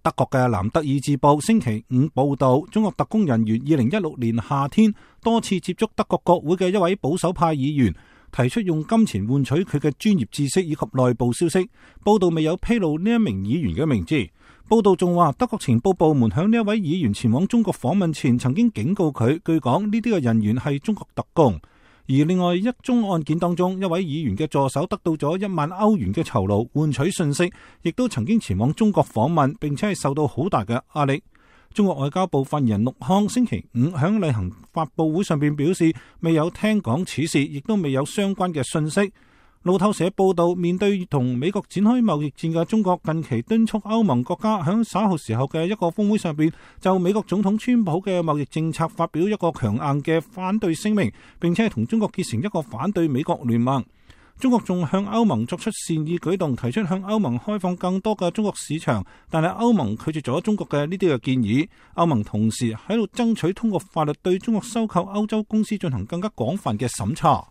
德國嘅南德意志報星期五報道，中國特工人員2016年夏天多次接觸德國國會嘅一位保守派議員，提出用金錢換取佢嘅專業知識以及內部消息。報道未有披露呢一名議員嘅名字。報道仲話，德國情報部門向呢一位議員前往中國訪問前，曾經警告佢，據講呢啲嘅人員係中國特工。而另外一宗案件當中，一位議員嘅助手得到咗1萬歐元嘅酬勞換取信息，亦都曾經前往中國訪問，並且係受到好大嘅壓力。中國外交部發言人陸康星期五響例行發佈會上邊表示，未有聽講此事，亦都未有相關嘅信息。路透社報道，面對同美國展開貿易戰嘅中國，近期敦促歐盟國家響稍後時候嘅一個峰會上邊，就美國總統川普嘅貿易政策發表一個強硬嘅反對聲明，並且係同中國結成一個反對美國聯盟。中國仲向歐盟作出善意舉動，提出向歐盟開放更多嘅中國市場，但係歐盟拒絕咗中國嘅呢啲嘅建議。歐盟同時喺度爭取通過法律對中國收購歐洲公司進行更加廣泛嘅審查。